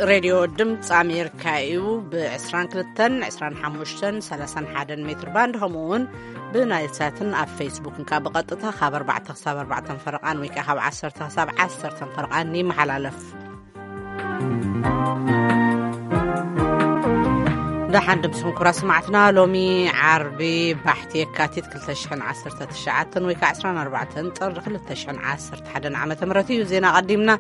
ሬድዮ ድምፂ ኣሜሪካ እዩ። ብ22፣ 25፣ 31 ሜትር ባንድ፣ ከምኡ እውን ብናይል ሳትን ኣብ ፌስቡክን ካብ ብቐጥታ ካብ ኣርባዕተ ክሳብ ኣርባዕተ ፈረቓን ወይ ከዓ ካብ ዓሰርተ ክሳብ ዓሰርተ ፈረቓን ይመሓላለፍ። ደሓን ድምፅኹም ክቡራት ሰማዕትና። ሎሚ ዓርቢ ባሕቲ የካቲት ክልተ ሽሕን ዓሰርተ ትሽዓተን ወይ ከዓ ዕስራን ኣርባዕተን ጥሪ ክልተ ሽሕን ዓሰርተ ሓደን ዓመተ ምህረት እዩ። ዜና ቀዲምና።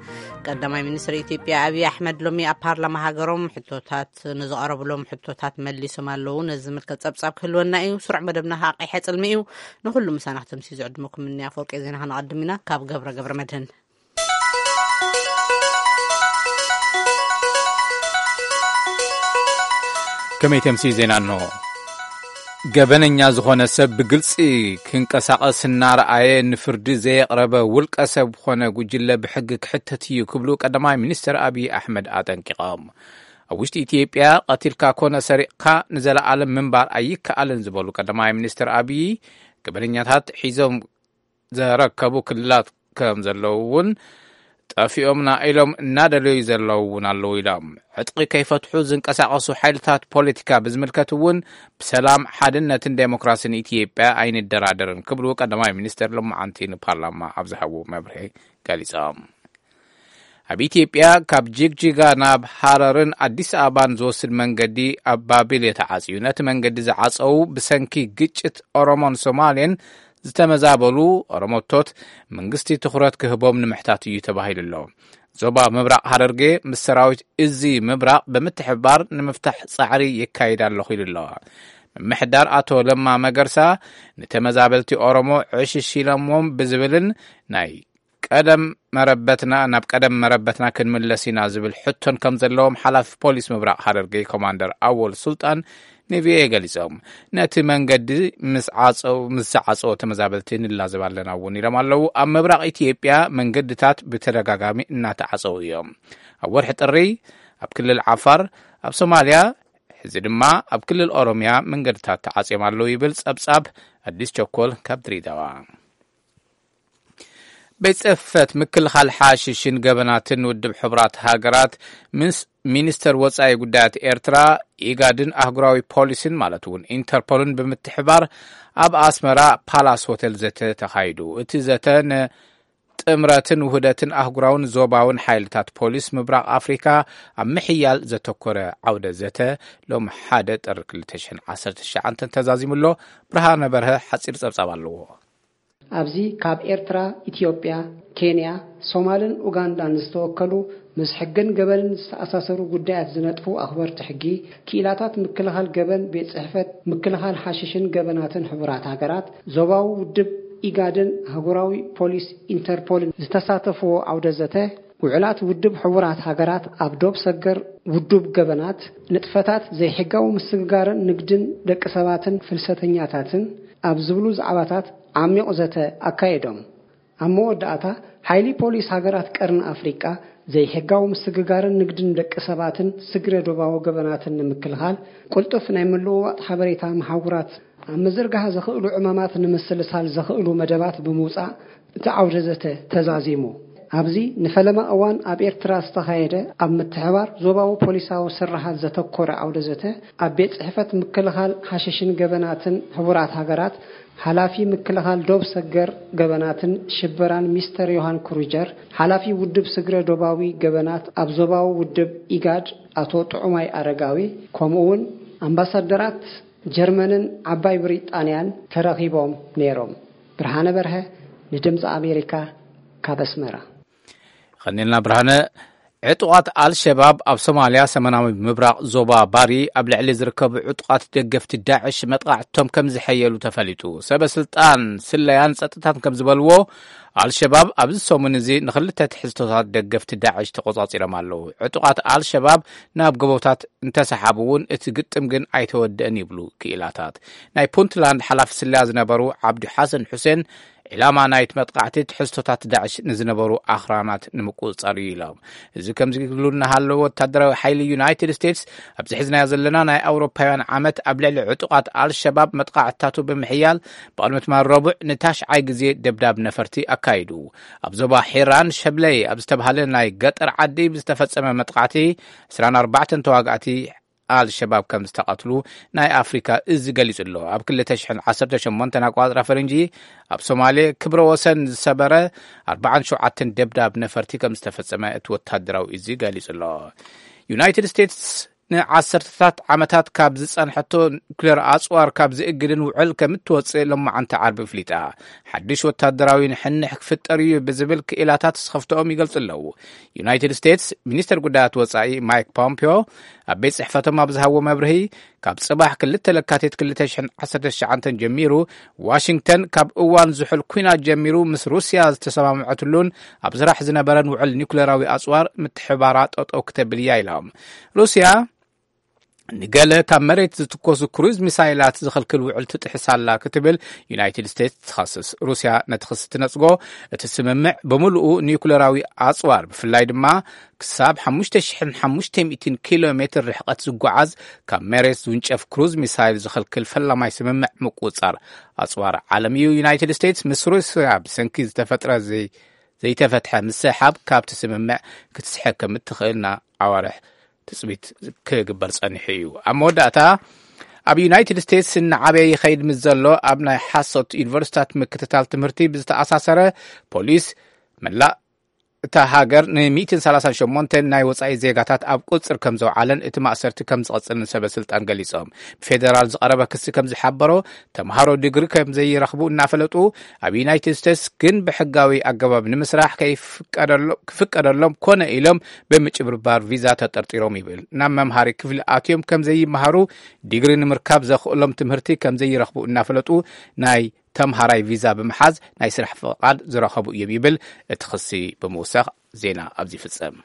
ቀዳማይ ሚኒስትር ኢትዮጵያ ኣብይ ኣሕመድ ሎሚ ኣብ ፓርላማ ሃገሮም ሕቶታት፣ ንዝቐረብሎም ሕቶታት መሊሶም ኣለዉ። ነዚ ዝምልከት ጸብጻብ ክህልወና እዩ። ስሩዕ መደብና ከዓ ቀይሐ ጽልሚ እዩ። ንኹሉ ምሳና ክትምሲ ዝዕድመኩም እኒ ኣፈወርቂ ዜና ከነቐድም ኢና። ካብ ገብረ ገብረ መድህን። ከመይ ተምሲ ዜና እንሆ። ገበነኛ ዝኾነ ሰብ ብግልጺ ክንቀሳቐስ እናረኣየ ንፍርዲ ዘየቕረበ ውልቀ ሰብ ኾነ ጉጅለ ብሕጊ ክሕተት እዩ ክብሉ ቀዳማይ ሚኒስትር ኣብይ ኣሕመድ ኣጠንቂቖም። ኣብ ውሽጢ ኢትዮጵያ ቀቲልካ ኮነ ሰሪቕካ ንዘለኣለም ምንባር ኣይከኣልን ዝበሉ ቀዳማይ ሚኒስትር ኣብይ፣ ገበነኛታት ሒዞም ዘረከቡ ክልላት ከም ዘለዉ እውን፣ ጠፊኦምና ኢሎም እናደለዩ ዘለዉ እውን ኣለዉ ኢሎም። ዕጥቂ ከይፈትሑ ዝንቀሳቐሱ ሓይልታት ፖለቲካ ብዝምልከት እውን፣ ብሰላም፣ ሓድነትን ዴሞክራሲን ኢትዮጵያ ኣይንደራደርን ክብሉ ቀዳማይ ሚኒስትር ሎማዓንቲ ንፓርላማ ኣብ ዝሃቡ መብርሂ ገሊጾም። ኣብ ኢትዮጵያ ካብ ጅግጅጋ ናብ ሃረርን ኣዲስ ኣበባን ዝወስድ መንገዲ ኣብ ባቢሌ ተዓጽዩ። ነቲ መንገዲ ዝዓጸዉ ብሰንኪ ግጭት ኦሮሞን ሶማሌን ዝተመዛበሉ ኦሮሞቶት መንግስቲ ትኹረት ክህቦም ንምሕታት እዩ ተባሂሉ ኣሎ። ዞባ ምብራቕ ሃረርጌ ምስ ሰራዊት እዚ ምብራቕ ብምትሕብባር ንምፍታሕ ጻዕሪ የካይድ ኣለኹ ኢሉ ኣሎ። ምምሕዳር ኣቶ ለማ መገርሳ ንተመዛበልቲ ኦሮሞ ዕሽሽ ኢሎምዎም ብዝብልን ናይ ቀደም መረበትና፣ ናብ ቀደም መረበትና ክንምለስ ኢና ዝብል ሕቶን ከም ዘለዎም ሓላፊ ፖሊስ ምብራቕ ሃረርጌ ኮማንደር ኣወል ሱልጣን ንቪኦኤ ገሊጾም። ነቲ መንገዲ ምስ ዓጸው-፣ ምስ ዝዓጸዎ ተመዛበልቲ ንላዘብ ኣለና እውን ኢሎም ኣለዉ። ኣብ ምብራቕ ኢትዮጵያ መንገድታት ብተደጋጋሚ እናተዓጸዉ እዮም። ኣብ ወርሒ ጥሪ ኣብ ክልል ዓፋር፣ ኣብ ሶማልያ፣ ሕዚ ድማ ኣብ ክልል ኦሮምያ መንገድታት ተዓጽዮም ኣለዉ ይብል ጸብጻብ ኣዲስ ቸኮል ካብ ድሬዳዋ። ቤት ጽሕፈት ምክልኻል ሓሽሽን ገበናትን ውድብ ሕቡራት ሃገራት ምስ ሚኒስተር ወጻኢ ጉዳያት ኤርትራ፣ ኢጋድን ኣህጉራዊ ፖሊስን ማለት እውን ኢንተርፖልን ብምትሕባር ኣብ ኣስመራ ፓላስ ሆቴል ዘተ ተኻይዱ። እቲ ዘተ ንጥምረትን ውህደትን ኣህጉራውን ዞባውን ሓይልታት ፖሊስ ምብራቕ ኣፍሪካ ኣብ ምሕያል ዘተኮረ ዓውደ ዘተ ሎም ሓደ ጥሪ ክልተ ሽሕን ዓሰርተ ትሽዓን ተዛዚሙ ኣሎ። ብርሃነ በርሀ ሓጺር ጸብጻብ ኣለዎ። ኣብዚ ካብ ኤርትራ፣ ኢትዮጵያ፣ ኬንያ፣ ሶማልን ኡጋንዳን ዝተወከሉ ምስ ሕግን ገበንን ዝተኣሳሰሩ ጉዳያት ዝነጥፉ ኣኽበርቲ ሕጊ፣ ክኢላታት ምክልኻል ገበን፣ ቤት ጽሕፈት ምክልኻል ሓሽሽን ገበናትን ሕቡራት ሃገራት፣ ዞባዊ ውድብ ኢጋድን ኣህጉራዊ ፖሊስ ኢንተርፖልን ዝተሳተፍዎ ዓውደ ዘተ፣ ውዕላት ውድብ ሕቡራት ሃገራት ኣብ ዶብ ሰገር ውዱብ ገበናት፣ ንጥፈታት ዘይሕጋዊ ምስግጋርን ንግድን ደቂ ሰባትን ፍልሰተኛታትን ኣብ ዝብሉ ዛዕባታት ዓሚቕ ዘተ ኣካየዶም። ኣብ መወዳእታ፣ ሓይሊ ፖሊስ ሃገራት ቀርኒ ኣፍሪቃ ዘይሕጋዊ ምስግጋርን ንግድን ደቂ ሰባትን ስግረ ዶባዊ ገበናትን ንምክልኻል፣ ቅልጡፍ ናይ ምልውዋጥ ሓበሬታ መሓውራት ኣብ ምዝርጋሕ ዘኽእሉ ዕማማት ንምስልሳል ዘኽእሉ መደባት ብምውጻእ፣ እቲ ዓውደ ዘተ ተዛዚሙ። ኣብዚ ንፈለማ እዋን ኣብ ኤርትራ ዝተኻየደ ኣብ ምትሕባር ዞባዊ ፖሊሳዊ ስርሓት ዘተኮረ ዓውደ ዘተ፣ ኣብ ቤት ጽሕፈት ምክልኻል ሓሽሽን ገበናትን ሕቡራት ሃገራት፣ ሓላፊ ምክልኻል ዶብ ሰገር ገበናትን ሽበራን ሚስተር ዮሃን ክሩጀር፣ ሓላፊ ውድብ ስግረ ዶባዊ ገበናት ኣብ ዞባዊ ውድብ ኢጋድ ኣቶ ጥዑማይ ኣረጋዊ፣ ከምኡ እውን ኣምባሳደራት ጀርመንን ዓባይ ብሪጣንያን ተረኺቦም ነይሮም። ብርሃነ በርሀ፣ ንድምፂ ኣሜሪካ፣ ካብ ኣስመራ። ኸኒልና ብርሃነ። ዕጡቓት ኣልሸባብ ኣብ ሶማልያ ሰሜናዊ ምብራቕ ዞባ ባሪ ኣብ ልዕሊ ዝርከቡ ዕጡቓት ደገፍቲ ዳዕሽ መጥቓዕቶም ከም ዝሐየሉ ተፈሊጡ። ሰበ ስልጣን ስለያን ጸጥታን ከም ዝበልዎ፣ ኣልሸባብ ኣብዚ ሰሙን እዚ ንኽልተ ትሕዝቶታት ደገፍቲ ዳዕሽ ተቖጻጺሮም ኣለዉ። ዕጡቓት ኣልሸባብ ናብ ጎቦታት እንተሰሓቡ እውን እቲ ግጥም ግን ኣይተወደአን ይብሉ ክኢላታት። ናይ ፑንትላንድ ሓላፊ ስለያ ዝነበሩ ዓብዱ ሓሰን ሑሴን ዕላማ ናይቲ መጥቃዕቲ ትሕዝቶታት ዳዕሽ ንዝነበሩ ኣኽራናት ንምቁጽጻር እዩ ኢሎም። እዚ ከምዚ ክብሉ እናሃለዉ፣ ወታደራዊ ሓይሊ ዩናይትድ ስቴትስ ኣብዚ ሕዝናዮ ዘለና ናይ ኣውሮፓውያን ዓመት ኣብ ልዕሊ ዕጡቓት ኣልሸባብ መጥቃዕትታቱ ብምሕያል፣ ብቕድሚ ትማል ረቡዕ ንታሽዓይ ግዜ ደብዳብ ነፈርቲ ኣካይዱ። ኣብ ዞባ ሒራን ሸብለይ ኣብ ዝተባህለ ናይ ገጠር ዓዲ ብዝተፈጸመ መጥቃዕቲ ዕስራን ኣርባዕተን ተዋጋእቲ ኣልሸባብ ከም ዝተቐትሉ ናይ ኣፍሪካ እዚ ገሊጹ ኣሎ። ኣብ ክልተ ሽሕን ዓሰርተ ሸሞንተን ኣቋጽራ ፈረንጂ ኣብ ሶማሌ ክብረ ወሰን ዝሰበረ ኣርባዓን ሸውዓተን ደብዳብ ነፈርቲ ከም ዝተፈጸመ እቲ ወታደራዊ እዚ ገሊጹ ኣሎ። ዩናይትድ ስቴትስ ንዓሰርተታት ዓመታት ካብ ዝጸንሐቶ ኑክሌር ኣጽዋር ካብ ዝእግድን ውዕል ከም እትወጽእ ሎማዓንቲ ዓርቢ ኣፍሊጣ። ሓድሽ ወታደራዊ ንሕንሕ ክፍጠር እዩ ብዝብል ክኢላታት ስኸፍትኦም ይገልጹ ኣለዉ። ዩናይትድ ስቴትስ ሚኒስተር ጉዳያት ወጻኢ ማይክ ፖምፒዮ ኣብ ቤት ጽሕፈቶም ኣብ ዝሃቦ መብርሂ፣ ካብ ጽባሕ ክልተ ለካቲት ክልተ ሽሕን ዓሰርተ ትሽዓተን ጀሚሩ ዋሽንግተን ካብ እዋን ዝሑል ኲናት ጀሚሩ ምስ ሩስያ ዝተሰማምዐትሉን ኣብ ስራሕ ዝነበረን ውዕል ኒኩሌራዊ ኣጽዋር ምትሕባራ ጠጠው ክተብል እያ ኢሎም። ሩስያ ንገለ ካብ መሬት ዝትኮሱ ክሩዝ ሚሳይላት ዝኽልክል ውዕል ትጥሕስ ኣላ ክትብል ዩናይትድ ስቴትስ ትኸስስ። ሩስያ ነቲ ክሲ ትነጽጎ፣ እቲ ስምምዕ ብምሉኡ ኒኩሌራዊ ኣጽዋር፣ ብፍላይ ድማ ክሳብ ሓሙሽተ ሽሕን ሓሙሽተ ሚእትን ኪሎ ሜትር ርሕቀት ዝጓዓዝ ካብ መሬት ዝውንጨፍ ክሩዝ ሚሳይል ዝኽልክል ፈላማይ ስምምዕ ምቁጽጻር ኣጽዋር ዓለም እዩ። ዩናይትድ ስቴትስ ምስ ሩስያ ብሰንኪ ዝተፈጥረ ዘይ-፣ ዘይተፈትሐ ምስሕሓብ ካብቲ ስምምዕ ክትስሕብ ከም እትኽእልና ኣዋርሕ ትጽቢት ክግበር ጸኒሑ እዩ። ኣብ መወዳእታ፣ ኣብ ዩናይትድ ስቴትስ እናዓበየ ይኸይድ ምስ ዘሎ ኣብ ናይ ሓሶት ዩኒቨርሲታት ምክትታል ትምህርቲ ብዝተኣሳሰረ፣ ፖሊስ መላእ እታ ሃገር ን138 ናይ ወጻኢ ዜጋታት ኣብ ቁጽር ከም ዘውዓለን እቲ ማእሰርቲ ከም ዝቐጽልን ሰበ ስልጣን ገሊጾም። ብፌደራል ዝቐረበ ክሲ ከም ዝሓበሮ፣ ተምሃሮ ዲግሪ ከም ዘይረኽቡ እናፈለጡ ኣብ ዩናይትድ ስቴትስ ግን ብሕጋዊ ኣገባብ ንምስራሕ ከይፍቀደሎ-፣ ክፍቀደሎም ኮነ ኢሎም ብምጭብርባር ቪዛ ተጠርጢሮም ይብል። ናብ መምሃሪ ክፍሊ ኣትዮም ከም ዘይመሃሩ፣ ዲግሪ ንምርካብ ዘኽእሎም ትምህርቲ ከም ዘይረኽቡ እናፈለጡ ናይ ተምሃራይ ቪዛ ብምሓዝ ናይ ስራሕ ፍቓድ ዝረኸቡ እዮም ይብል እቲ ክሲ ብምውሳኽ ዜና ኣብዚ ይፍጸም።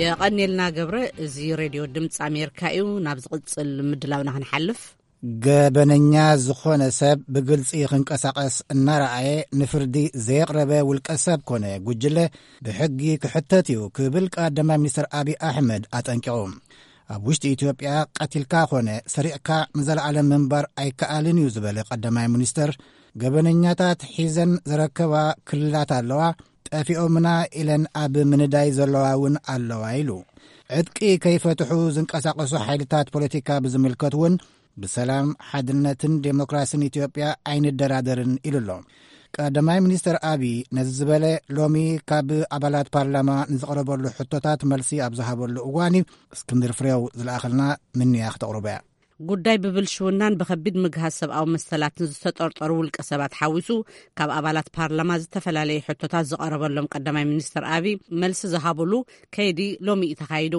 የቐኔልና ገብረ። እዚ ሬድዮ ድምፂ ኣሜሪካ እዩ። ናብ ዝቕፅል ምድላውና ክንሓልፍ፣ ገበነኛ ዝኾነ ሰብ ብግልፂ ክንቀሳቐስ እናረኣየ ንፍርዲ ዘየቕረበ ውልቀ ሰብ ኮነ ጉጅለ ብሕጊ ክሕተት እዩ ክብል ቀዳማይ ሚኒስትር ኣብይ ኣሕመድ ኣጠንቂቑ። ኣብ ውሽጢ ኢትዮጵያ ቀቲልካ ኮነ ሰሪቕካ ንዘለኣለም ምንባር ኣይከኣልን እዩ ዝበለ ቀዳማይ ሚኒስትር፣ ገበነኛታት ሒዘን ዝረከባ ክልላት ኣለዋ፣ ጠፊኦምና ኢለን ኣብ ምንዳይ ዘለዋ እውን ኣለዋ ኢሉ። ዕጥቂ ከይፈትሑ ዝንቀሳቐሱ ሓይልታት ፖለቲካ ብዝምልከት እውን ብሰላም፣ ሓድነትን ዴሞክራሲን ኢትዮጵያ ኣይንደራደርን ኢሉ ኣሎ። ቀዳማይ ሚኒስትር ኣብይ ነዚ ዝበለ ሎሚ ካብ ኣባላት ፓርላማ ንዝቐረበሉ ሕቶታት መልሲ ኣብ ዝሃበሉ እዋን እዩ። እስክንድር ፍሬው ዝለኣኸልና ምንያ ክተቕርቦ እያ። ጉዳይ ብብልሽውናን ብኸቢድ ምግሃስ ሰብኣዊ መሰላትን ዝተጠርጠሩ ውልቀ ሰባት ሓዊሱ ካብ ኣባላት ፓርላማ ዝተፈላለዩ ሕቶታት ዝቐረበሎም ቀዳማይ ሚኒስትር ኣብይ መልሲ ዝሃብሉ ከይዲ ሎሚ እዩ ተኻይዱ።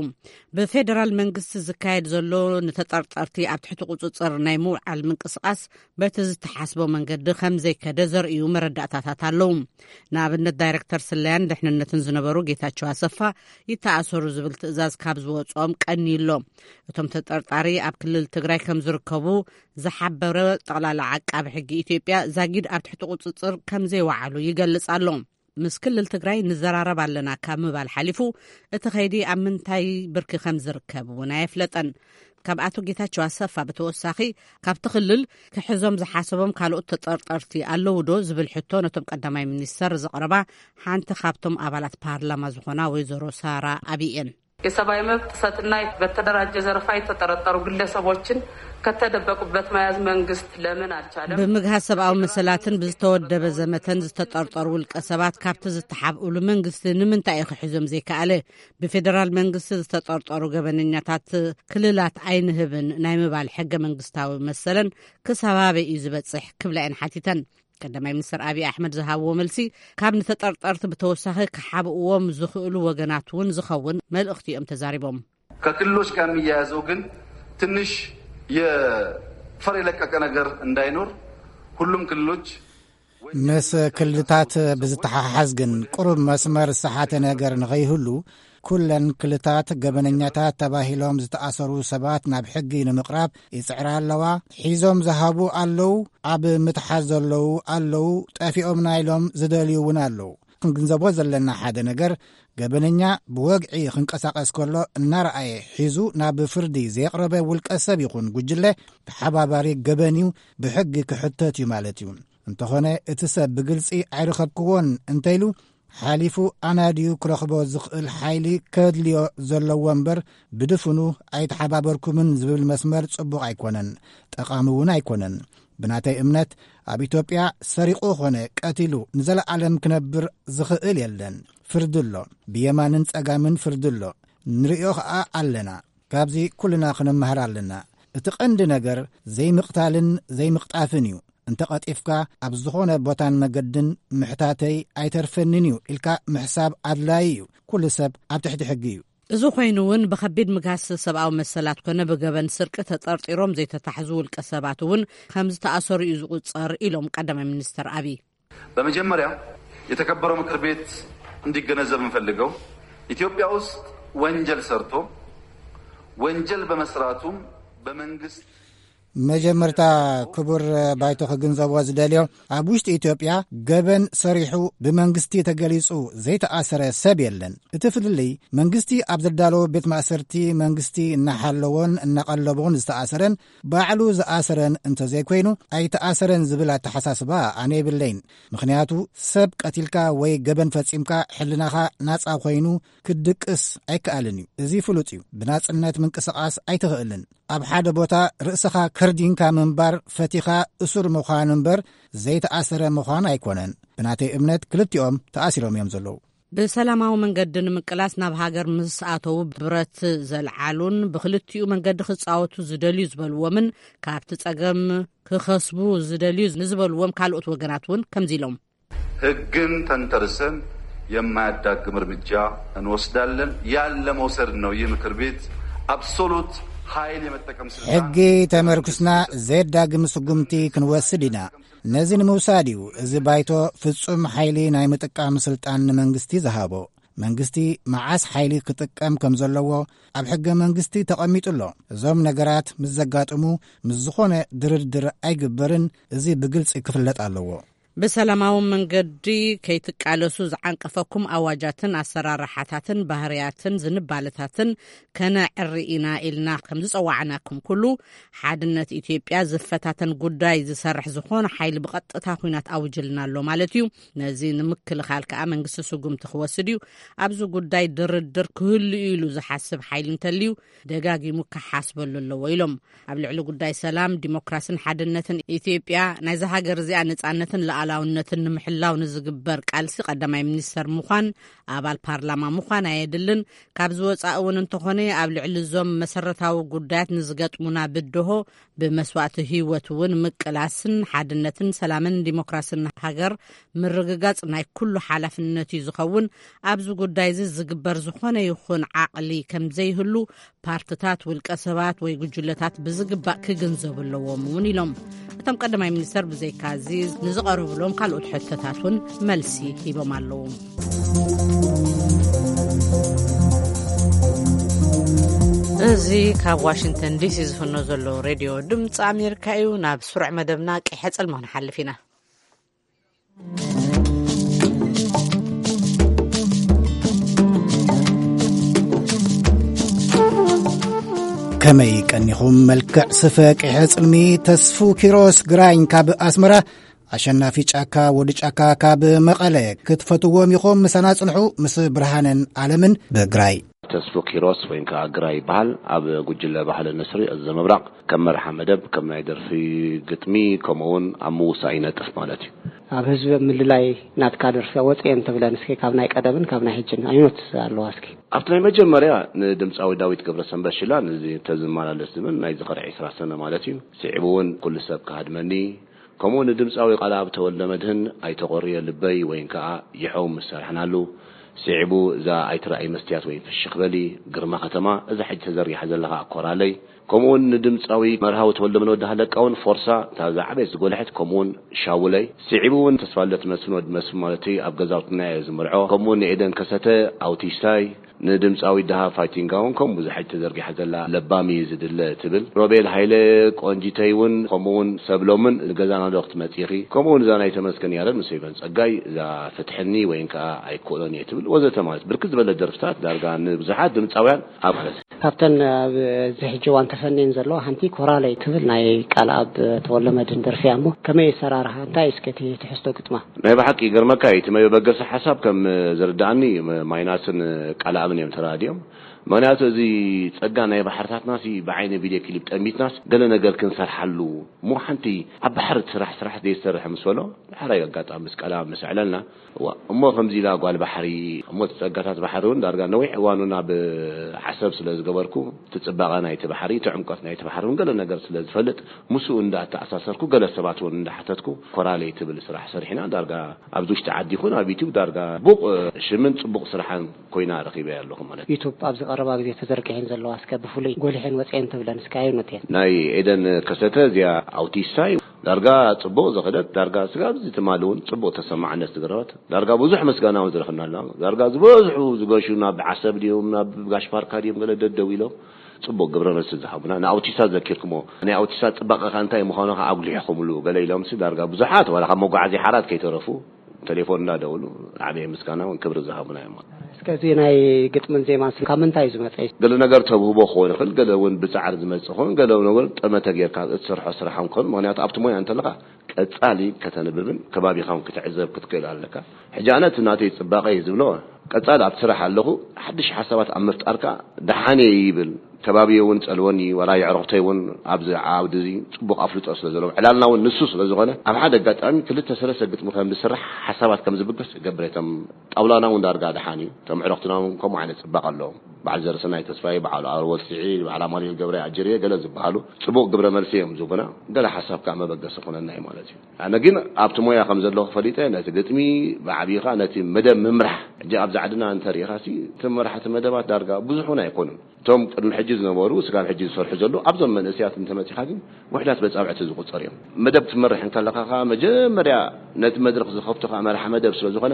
ብፌደራል መንግስቲ ዝካየድ ዘሎ ንተጠርጠርቲ ኣብ ትሕቲ ቁፅፅር ናይ ምውዓል ምንቅስቃስ በቲ ዝተሓስቦ መንገዲ ከም ዘይከደ ዘርእዩ መረዳእታታት ኣለዉ። ንኣብነት ዳይሬክተር ስለያን ድሕንነትን ዝነበሩ ጌታቸው ኣሰፋ ይተኣሰሩ ዝብል ትእዛዝ ካብ ዝወፅኦም ቀንዩ ኣሎ። እቶም ተጠርጣሪ ኣብ ክልል ትግራይ ከም ዝርከቡ ዝሓበረ ጠቕላላ ዓቃቢ ሕጊ ኢትዮጵያ ዛጊድ ኣብ ትሕቲ ቁፅፅር ከም ዘይወዓሉ ይገልጽ ኣሎ። ምስ ክልል ትግራይ ንዘራረብ ኣለና ካብ ምባል ሓሊፉ እቲ ኸይዲ ኣብ ምንታይ ብርኪ ከም ዝርከብ እውን ኣየፍለጠን። ካብ ኣቶ ጌታቸው ኣሰፋ ብተወሳኺ ካብቲ ክልል ክሕዞም ዝሓሰቦም ካልኦት ተጠርጠርቲ ኣለዉ ዶ ዝብል ሕቶ ነቶም ቀዳማይ ሚኒስተር ዘቕረባ ሓንቲ ካብቶም ኣባላት ፓርላማ ዝኾና ወይዘሮ ሳራ ኣብይ እየን። የሰብአዊ መብት ጥሰትና በተደራጀ ዘረፋ የተጠረጠሩ ግለሰቦችን ከተደበቁበት መያዝ መንግስት ለምን አልቻለም? ብምግሃስ ሰብኣዊ መሰላትን ብዝተወደበ ዘመተን ዝተጠርጠሩ ውልቀ ሰባት ካብቲ ዝተሓብእሉ መንግስቲ ንምንታይ እዩ ክሕዞም ዘይከኣለ? ብፌደራል መንግስቲ ዝተጠርጠሩ ገበነኛታት ክልላት ኣይንህብን ናይ ምባል ሕገ መንግስታዊ መሰለን ክሳብ ኣበይ እዩ ዝበጽሕ ክብላ እየን ሓቲተን። ቀዳማይ ሚኒስትር ኣብይ ኣሕመድ ዝሃብዎ መልሲ፣ ካብ ንተጠርጠርቲ ብተወሳኺ ክሓብእዎም ዝኽእሉ ወገናት እውን ዝኸውን መልእኽቲ እዮም ተዛሪቦም። ከክልሎች ጋር የሚያያዘው ግን ትንሽ የፈር የለቀቀ ነገር እንዳይኖር ሁሉም ክልሎች ምስ ክልልታት ብዝተሓሓዝ ግን ቅሩብ መስመር ዝሰሓተ ነገር ንኸይህሉ ኩለን ክልታት ገበነኛታት ተባሂሎም ዝተኣሰሩ ሰባት ናብ ሕጊ ንምቕራብ ይጽዕራ ኣለዋ። ሒዞም ዝሃቡ ኣለዉ፣ ኣብ ምትሓዝ ዘለዉ ኣለዉ፣ ጠፊኦምና ኢሎም ዝደልዩ እውን ኣለዉ። ክንግንዘቦ ዘለና ሓደ ነገር፣ ገበነኛ ብወግዒ ክንቀሳቐስ ከሎ እናረኣየ ሒዙ ናብ ፍርዲ ዘየቕረበ ውልቀ ሰብ ይኹን ጉጅለ ተሓባባሪ ገበን እዩ፣ ብሕጊ ክሕተት እዩ ማለት እዩ። እንተኾነ እቲ ሰብ ብግልጺ ኣይረኸብክዎን እንተኢሉ፣ ሓሊፉ ኣናድዩ ክረኽቦ ዝኽእል ሓይሊ ከድልዮ ዘለዎ እምበር፣ ብድፍኑ ኣይተሓባበርኩምን ዝብል መስመር ጽቡቕ ኣይኮነን፣ ጠቓሚ እውን ኣይኮነን። ብናተይ እምነት፣ ኣብ ኢትዮጵያ ሰሪቑ ኾነ ቀቲሉ ንዘለኣለም ክነብር ዝኽእል የለን። ፍርዲ ኣሎ፣ ብየማንን ጸጋምን ፍርዲ ኣሎ። ንርእዮ ኸኣ ኣለና። ካብዚ ኩልና ክንመሃር ኣለና። እቲ ቀንዲ ነገር ዘይምቕታልን ዘይምቕጣፍን እዩ። እንተ ቀጢፍካ፣ ኣብ ዝኾነ ቦታን መገድን ምሕታተይ ኣይተርፈንን እዩ ኢልካ ምሕሳብ ኣድላዪ እዩ። ኩሉ ሰብ ኣብ ትሕቲ ሕጊ እዩ። እዚ ኮይኑ እውን ብኸቢድ ምግሃስ ሰብኣዊ መሰላት ኮነ ብገበን ስርቂ ተጠርጢሮም ዘይተታሕዙ ውልቀ ሰባት እውን ከም ዝተኣሰሩ እዩ ዝቑጸር ኢሎም ቀዳማይ ሚኒስተር ኣብይ። በመጀመሪያ የተከበረው ምክር ቤት እንዲገነዘብ የምፈልገው ኢትዮጵያ ውስጥ ወንጀል ሰርቶ ወንጀል በመስራቱም በመንግስት መጀመርታ ክቡር ባይቶ ክግንዘቦ ዝደልዮ፣ ኣብ ውሽጢ ኢትዮጵያ ገበን ሰሪሑ ብመንግስቲ ተገሊጹ ዘይተኣሰረ ሰብ የለን። እቲ ፍልልይ መንግስቲ ኣብ ዘዳለዎ ቤት ማእሰርቲ መንግስቲ እናሓለዎን እናቐለቦን ዝተኣሰረን ባዕሉ ዝኣሰረን እንተዘይኮይኑ ኣይተኣሰረን ዝብል ኣተሓሳስባ ኣነ የብለይን። ምኽንያቱ ሰብ ቀቲልካ ወይ ገበን ፈጺምካ ሕልናኻ ናጻ ኮይኑ ክትድቅስ ኣይከኣልን እዩ። እዚ ፍሉጥ እዩ። ብናጽነት ምንቅስቓስ ኣይትኽእልን። ኣብ ሓደ ቦታ ርእስኻ ከርዲንካ ምንባር ፈቲኻ እሱር ምዃን እምበር ዘይተኣሰረ ምዃን ኣይኮነን። ብናተይ እምነት ክልቲኦም ተኣሲሮም እዮም ዘለዉ። ብሰላማዊ መንገዲ ንምቅላስ ናብ ሃገር ምስ ኣተዉ ብረት ዘልዓሉን ብክልቲኡ መንገዲ ክጻወቱ ዝደልዩ ዝበልዎምን ካብቲ ጸገም ክኸስቡ ዝደልዩ ንዝበልዎም ካልኦት ወገናት እውን ከምዚ ኢሎም። ህግን ተንተርሰን የማያዳግም እርምጃ እንወስዳለን። ያን ለመውሰድ ነው ይህ ምክር ቤት አብሶሉት ኃይል የመጠቀም ስልጣን ሕጊ ተመርኩስና ዘየዳግም ስጉምቲ ክንወስድ ኢና። ነዚ ንምውሳድ እዩ እዚ ባይቶ ፍጹም ሓይሊ ናይ ምጥቃም ስልጣን ንመንግስቲ ዝሃቦ። መንግስቲ መዓስ ሓይሊ ክጥቀም ከም ዘለዎ ኣብ ሕገ መንግስቲ ተቐሚጡ ኣሎ። እዞም ነገራት ምስ ዘጋጥሙ ምስ ዝኾነ ድርድር ኣይግበርን። እዚ ብግልጺ ክፍለጥ ኣለዎ። ብሰላማዊ መንገዲ ከይትቃለሱ ዝዓንቀፈኩም ኣዋጃትን ኣሰራርሓታትን ባህርያትን ዝንባለታትን ከነዕሪ ኢና ኢልና ከም ዝጸዋዕናኩም ኩሉ፣ ሓድነት ኢትዮጵያ ዝፈታተን ጉዳይ ዝሰርሕ ዝኾነ ሓይሊ ብቐጥታ ኲናት ኣውጅልና ኣሎ ማለት እዩ። ነዚ ንምክልኻል ከኣ መንግስቲ ስጉምቲ ክወስድ እዩ። ኣብዚ ጉዳይ ድርድር ክህሉ እዩ ኢሉ ዝሓስብ ሓይሊ እንተልዩ ደጋጊሙ ክሓስበሉ ኣለዎ ኢሎም። ኣብ ልዕሊ ጉዳይ ሰላም፣ ዲሞክራስን ሓድነትን ኢትዮጵያ፣ ናይዛ ሃገር እዚኣ ነጻነትን ሉዓላውነትን ንምሕላው ንዝግበር ቃልሲ ቀዳማይ ሚኒስተር ምዃን፣ ኣባል ፓርላማ ምዃን ኣየድልን። ካብዚ ወጻኢ እውን እንተኾነ ኣብ ልዕሊ እዞም መሰረታዊ ጉዳያት ንዝገጥሙና ብድሆ ብመስዋእቲ ህይወት እውን ምቅላስን ሓድነትን ሰላምን ዲሞክራስን ሃገር ምርግጋጽ ናይ ኩሉ ሓላፍነት እዩ ዝኸውን። ኣብዚ ጉዳይ እዚ ዝግበር ዝኾነ ይኹን ዓቕሊ ከም ዘይህሉ ፓርትታት፣ ውልቀ ሰባት ወይ ጉጅለታት ብዝግባእ ክግንዘቡ ኣለዎም እውን ኢሎም። እቶም ቀዳማይ ሚኒስተር ብዘይካዚ ንዝቐረቡሎም ካልኦት ሕቶታት እውን መልሲ ሂቦም ኣለዉ። እዚ ካብ ዋሽንግተን ዲሲ ዝፍኖ ዘሎ ሬድዮ ድምፂ ኣሜሪካ እዩ። ናብ ስሩዕ መደብና ቀይሐ ጽልሞ ክንሓልፍ ኢና። ከመይ ቀኒኹም? መልክዕ ስፈ ቅሐ ጽልሚ። ተስፉ ኪሮስ ግራኝ ካብ ኣስመራ። ኣሸናፊ ጫካ፣ ወዲ ጫካ ካብ መቐለ። ክትፈትዎም ኢኹም፣ ምሳና ጽንሑ። ምስ ብርሃንን ኣለምን ብግራይ። ተስፉ ኪሮስ ወይ ከዓ ግራይ ይበሃል። ኣብ ጉጅለ ባህሊ ንስሪ እዝ ምብራቕ ከም መርሓ መደብ፣ ከም ናይ ደርፊ ግጥሚ፣ ከምኡ እውን ኣብ ምውሳእ ይነጥፍ ማለት እዩ። ኣብ ህዝቢ ኣብ ምልላይ ናትካ ደርፊ ወፅየን ተብለን እስኪ፣ ካብ ናይ ቀደምን ካብ ናይ ሕጅን ኣይኖት ኣለዋ እስኪ። ኣብቲ ናይ መጀመርያ ንድምፃዊ ዳዊት ገብረሰንበት ሽላ፣ ነዚ ተዝመላለስ ዝብል ናይ ዝኸሪ ዕስራ ሰነ ማለት እዩ። ስዒቡ እውን ኩሉ ሰብ ክሃድመኒ፣ ከምኡ ንድምፃዊ ቃልኣብ ተወልደመድህን ኣይተቆርየ ልበይ ወይን ከዓ ይሐው ምስ ሰርሕናሉ፣ ስዒቡ እዛ ኣይትረኣይ መስትያት ወይን ፍሽኽ በሊ፣ ግርማ ከተማ፣ እዛ ሕጂ ተዘርጊሓ ዘላ ከዓ ኮራለይ፣ ከምኡውን ንድምፃዊ መርሃዊ ተወልደመድህን ወዲ ሃለቃ እውን ፎርሳ፣ እታ ዝዓበየት ዝጎልሐት፣ ከምኡውን ሻውለይ፣ ስዒቡ እውን ተስፋለት መስፍን ወዲ መስፍን ማለት እዩ፣ ኣብ ገዛውትና እየ ዝምርዖ፣ ከምኡውን ንኤደን ከሰተ ኣውቲስታይ፣ ንድምፃዊ ደሃ ፋይቲንጋ እውን ከምኡ ብዙሕ ተዘርጊሓ ዘላ ለባም እዩ ዝድለ ትብል። ሮቤል ሃይለ ቆንጂተይ እውን ከምኡ እውን ሰብሎምን ንገዛና ዶ ክትመፂኺ፣ ከምኡ እውን እዛ ናይ ተመስገን ያረድ ምስ ፌቨን ጸጋይ እዛ ፍትሕኒ ወይን ከዓ ኣይክእሎን እየ ትብል ወዘተ ማለት ብርክት ዝበለ ደርፍታት ዳርጋ ንብዙሓት ድምፃውያን ኣብ ማለት ካብተን ኣብዚ ሕጂ እዋን ተፈንየን ዘለዋ ሓንቲ ኮራለይ ትብል ናይ ቃልኣብ ተወልደመድህን ደርፊ እያ። እሞ ከመይ ኣሰራርሓ፣ እንታይ እስከ እቲ ትሕዝቶ ግጥማ? ናይ ብሓቂ ይገርመካ እዩ። እቲ መበገሲ ሓሳብ ከም ዝርድኣኒ ማይናስን ቃልኣብን እዮም ተራዲኦም። ምክንያቱ እዚ ጸጋ ናይ ባሕርታትና ሲ ብዓይኒ ቪድዮ ክሊፕ ጠሚትናስ ገለ ነገር ክንሰርሓሉ እሞ ሓንቲ ኣብ ባሕሪ ትስራሕ ስራሕ ዘይሰርሕ ምስ በሎ ዳሕራይ ኣጋጣሚ ምስ ቃልኣብ ምስ ኣዕለልና እዋ እሞ ከምዚ ኢላ ጓል ባሕሪ እሞ እቲ ጸጋታት ባሕሪ እውን ዳርጋ ነዊሕ እዋኑ ናብ ዓሰብ ስለ ዝገበርኩ እቲ ጽባቐ ናይቲ ባሕሪ እቲ ዕምቆት ናይቲ ባሕሪ እውን ገለ ነገር ስለ ዝፈልጥ ምስኡ እንዳተኣሳሰርኩ ገለ ሰባት እውን እንዳሓተትኩ ኮራለይ ትብል ስራሕ ሰሪሕና ዳርጋ ኣብዚ ውሽጢ ዓዲ ይኹን ኣብ ዩቲዩብ ዳርጋ ጽቡቕ ሽምን ጽቡቕ ስራሕን ኮይና ረኺበያ ኣለኹ ማለት እዩ። ዩቱብ ኣብዚ ቀረባ ግዜ ተዘርጊሐን ዘለዋ እስከ ብፍሉይ ጎሊሐን ወፅየን ትብለን እስከ ኣየኖት እየን? ናይ ኤደን ከሰተ እዚኣ ኣውቲስታ እዩ። ዳርጋ ጽቡቕ ዝኸደት ዳርጋ ስጋብ እዚ ትማሊ እውን ጽቡቕ ተሰማዕነት ዝገረበት ዳርጋ ብዙሕ ምስጋና እውን ዝረኽብናላ ዳርጋ ዝበዝሑ ዝገሹ ናብ ዓሰብ ድዮም ናብ ጋሽ ፓርካ ድዮም ገለ ደደው ኢሎም ጽቡቕ ግብረ መልሲ ዝሃቡና ንኣውቲስታ ዘኪርኩሞ ናይ ኣውቲስታ ጽባቐ ከ እንታይ ምዃኑ ከ ኣጉሊሕኹምሉ ገለ ኢሎምሲ ዳርጋ ብዙሓት ዋላ ካብ መጓዓዝያ ሓራት ከይተረፉ ተሌፎን እንዳደወሉ ዓብየ ምስጋና እውን ክብሪ ዝሃቡና እዮም። እስከ እዚ ናይ ግጥምን ዜማን ስም ካብ ምንታይ እዩ ዝመፀ? ገለ ነገር ተብህቦ ክኸውን ይኽእል፣ ገለ እውን ብፃዕሪ ዝመፅእ ክኸውን፣ ገለ እውን ጠመተ ጌርካ እትሰርሖ ስራሕ ክኸውን። ምክንያቱ ኣብቲ ሞያ እንተለካ ቀፃሊ ከተንብብን ከባቢኻ እውን ክትዕዘብ ክትክእል ኣለካ። ሕጂ ኣነ እቲ ናተይ ፅባቐ እዩ ዝብሎ ቀፃሊ ኣብቲ ስራሕ ኣለኹ። ሓድሽ ሓሳባት ኣብ ምፍጣርካ ደሓን እየ ይብል። ከባቢየ እውን ጸልወኒ፣ ዋላ የዕሩኽተይ እውን ኣብዚ ዓውዲ እዚ ጽቡቕ ኣፍልጦ ስለ ዘለዎም፣ ዕላልና እውን ንሱ ስለ ዝኾነ፣ ኣብ ሓደ ኣጋጣሚ ክልተ ሰለስተ ግጥሚ ከም ዝስራሕ ሓሳባት ከም ዝብገስ እገብር እየ። እቶም ጣውላና እውን ዳርጋ ደሓን እዩ። እቶም ኣዕሩኽትና እውን ከምኡ ዓይነት ጽባቐ ኣለዎም። በዓል ዘርሰናይ ተስፋይ፣ በዓል ኣወል ስዒድ፣ በዓል ኣማኑኤል ገብረ ኣጅርየ ገለ ዝበሃሉ ጽቡቕ ግብረ መልሲ እዮም ዝህቡና። ገለ ሓሳብ ከኣ መበገሲ ኮነና እዩ ማለት እዩ። ኣነ ግን ኣብቲ ሞያ ከም ዘለኹ ፈሊጠ ነቲ ግጥሚ ብዓብይኻ ነቲ መደብ ምምራሕ ሕጂ ኣብዚ ዓድና እንተሪኢኻሲ እቲ መራሕቲ መደባት ዳርጋ ብዙሕ እውን ኣይኮኑን። እቶም ቅድሚ ሕጂ ዝነበሩ ስጋብ ሕጂ ዝሰርሑ ዘለዉ ኣብዞም መንእሰያት እንተመጺኻ ግን ውሕዳት በጻብዕቲ ዝቑጸር እዮም። መደብ ክትመርሕ እንከለኻ ከኣ መጀመርያ ነቲ መድረኽ ዝኸፍቶ ከኣ መራሒ መደብ ስለ ዝኾነ